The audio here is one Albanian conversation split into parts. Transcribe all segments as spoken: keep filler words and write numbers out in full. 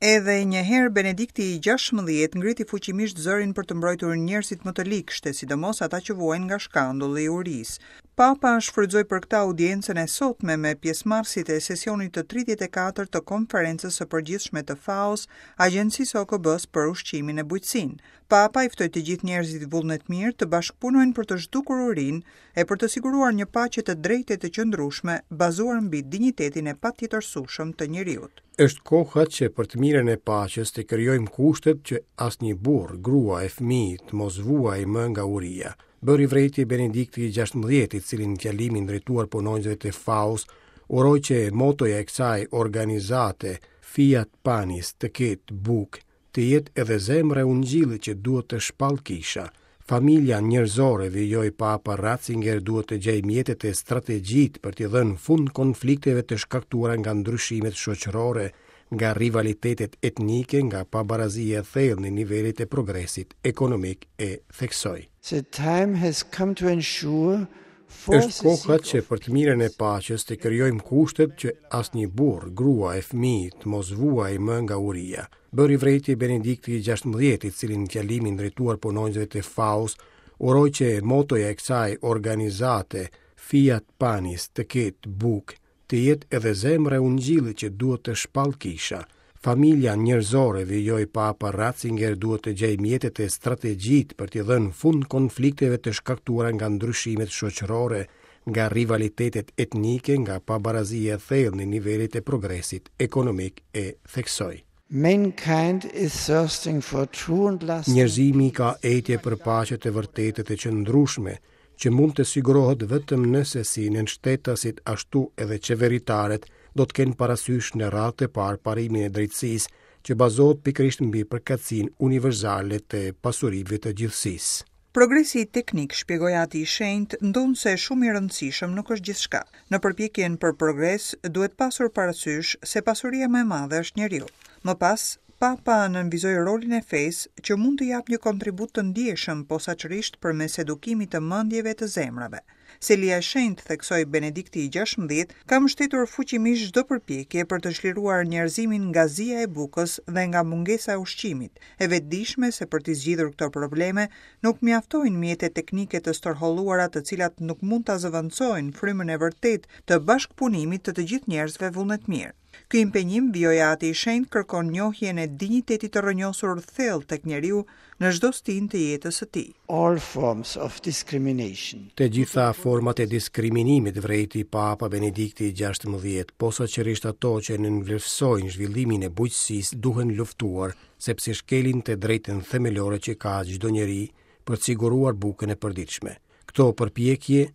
Edhe një herë Benedikti i gjashtëmbëdhjetë ngriti fuqimisht zërin për të mbrojtur njerëzit më të ligshtë, sidomos ata që vuajnë nga shkandulli i urisë. Papa shfrytëzoi për këtë audiencën e sotme me pjesëmarrësit e sesionit të tridhjetë e katër të Konferencës së Përgjithshme të FAO-s, Agjencisë së O K B-s për Ushqimin e Bujqësinë. Papa i ftoi të gjithë njerëzit vullnetmirë të bashkëpunojnë për të zhdukur urinë e për të siguruar një paqe të drejtë e të qëndrueshme, bazuar mbi dinjitetin e patjetërsueshëm të njeriut. Është koha që për të mirën e paqes të krijojmë kushtet që asnjë burr, grua e fëmijë të mos vuajë më nga uria. Bëri vërejtje Benedikti i gjashtëmbëdhjetë, i cili në fjalimin drejtuar punonjësve të FAO-s uroi që motoja e kësaj organizate Fiat Panis, të ketë bukë, të jetë edhe zemra e ungjillit që duhet të shpall kisha. Familja njerëzore, vijoi Papa Ratzinger, duhet të gjejë mjetet e strategjitë për t'i dhënë fund konflikteve të shkaktuara nga ndryshimet shoqërore, nga rivalitetet etnike, nga pabarazia e thellë në nivelet e progresit ekonomik, e theksoi. The time has come to ensure for Është koha që për të mirën e paqes të krijojmë kushtet që asnjë burr, grua e fëmijë të mos vuajë më nga uria. Bëri vërejtje Benedikti i gjashtëmbëdhjetë, i cili në fjalimin drejtuar punonjësve të FAO-s uroi që motoja e kësaj organizate Fiat Panis, të ketë bukë, të jetë edhe zemra e ungjillit që duhet të shpall kisha. Familja njerëzore, vijoi Papa Ratzinger, duhet të gjejë mjetet e strategjitë për t'i dhënë fund konflikteve të shkaktuara nga ndryshimet shoqërore, nga rivalitetet etnike, nga pabarazia e thellë në nivelet e progresit ekonomik, e theksoi. Mankind is thirsting for true and lasting Njerëzimi ka etje për paqe të vërtetë të qëndrueshme, që mund të sigurohet vetëm nëse si nënshtetasit ashtu edhe qeveritarët do të kenë parasysh në radhë të parë parimin e drejtësisë, që bazohet pikërisht mbi përkatësinë universale të pasurive të gjithësisë. Progresi teknik, shpjegoi Ati i Shenjtë, ndonëse shumë i rëndësishëm, nuk është gjithçka. Në përpjekjen për progres duhet pasur parasysh se pasuria më e madhe është njeriu. Më pas, Papa nënvizoi rolin e fesë që mund të japë një kontribut të ndjeshëm posaçërisht përmes edukimit të mendjeve të zemrave. Selia e Shenjtë, theksoi Benedikti i gjashtëmbëdhjetë, ka mbështetur fuqimisht çdo përpjekje për të çliruar njerëzimin nga zia e bukës dhe nga mungesa e ushqimit, e vetëdijshme se për t'i zgjidhur këto probleme nuk mjaftojnë mjete teknike të stërholluara, të cilat nuk mund ta zëvendësojnë frymën e vërtetë të bashkëpunimit të të gjithë njerëzve vullnetmirë. Ky impenjim, vijoi Ati i Shenjtë, kërkon njohjen e dinjitetit të rrënjosur thellë tek njeriu në çdo stinë të jetës së tij. All forms of discrimination. Të gjitha format e diskriminimit, vërejti Papa Benedikti i gjashtëmbëdhjetë, posaçërisht ato që nënvlerësojnë zhvillimin e bujqësisë, duhen luftuar, sepse shkelin të drejtën themelore që ka çdo njeri për të siguruar bukën e përditshme. Këto përpjekje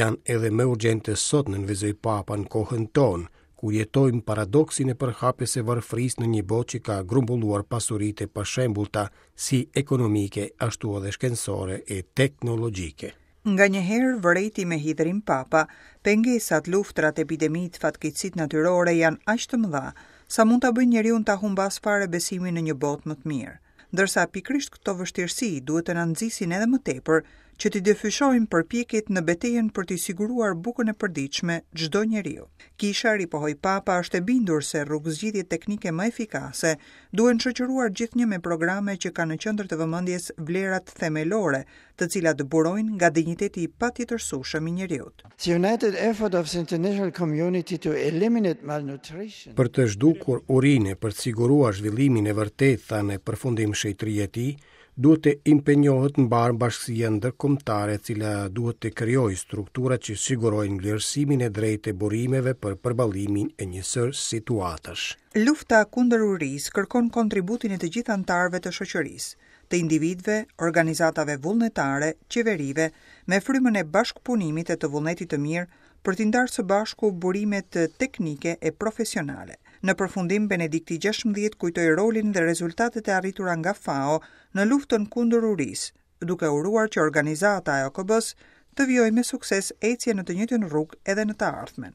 janë edhe më urgjente sot, nënvizoi Papa, në kohën tonë, kur jetojmë paradoksin e përhapjes së varfërisë në një botë që ka grumbulluar pasuritë e pashembullta si ekonomike ashtu edhe shkencore e teknologjike. Nga një herë, vërejti me hidhrim Papa, pengesat, luftrat, epidemitë, fatkeqësitë natyrore janë aq të mëdha sa mund ta bëjnë njeriu ta humbas fare besimin në një botë më të mirë. Ndërsa pikërisht këto vështirësi duhet të na nxisin edhe më tepër që t'i dyfishojmë përpjekjet në betejën për t'i siguruar bukën e përditshme çdo njeriu. Kisha, ripohoi Papa, është e bindur se rrugëzgjidhjet teknike më efikase duhen shoqëruar gjithnjë me programe që kanë në qendër të vëmendjes vlerat themelore, të cilat burojnë nga dinjiteti i patjetërsueshëm i njeriut. The united effort of the international community to eliminate malnutrition. Për të zhdukur urinë, për të siguruar zhvillimin e vërtetë, tha në përfundim shenjtëria e tij, duhet të impenjohet mbar bashkësia ndërkombëtare, e cila duhet të krijojë struktura që sigurojnë vlerësimin e drejtë të burimeve për përballimin e një sërë situatash. Lufta kundër urisë kërkon kontributin e të gjithë anëtarëve të shoqërisë, të individëve, organizatave vullnetare, qeverive, me frymën e bashkëpunimit e të vullnetit të mirë për t'i ndarë së bashku burimet teknike e profesionale. Në përfundim, Benedikti gjashtëmbëdhjetë kujtoi rolin dhe rezultatet e arritura nga FAO në luftën kundër urisë, duke uruar që organizata e O K B-s të vijojë me sukses ecjen në të njëjtën rrugë edhe në të ardhmen.